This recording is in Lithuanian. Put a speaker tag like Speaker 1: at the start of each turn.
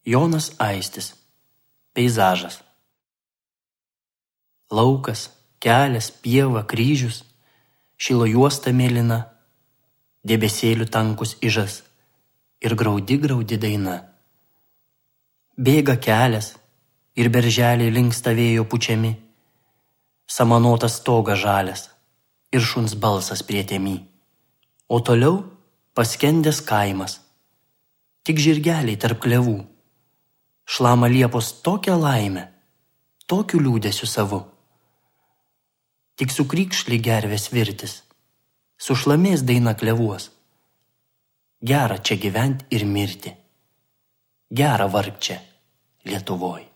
Speaker 1: Jonas Aistis. Peizažas. Laukas, kelias, pieva, kryžius, šilo juosta mėlyna, debesėlių tankus ižas ir graudi daina. Bėga kelias ir berželiai linksta vėjo pučiami, samanotas stogas žalias ir šuns balsas prie tėmy. O toliau paskendęs kaimas, tik žirgeliai tarp klevų, šlama liepos tokią laimę, tokiu liūdesiu savu. Tik sukrykšli gervės virtis, sušlamės daina klevuos. Gera čia gyvent ir mirti, gera vargt čia Lietuvoj.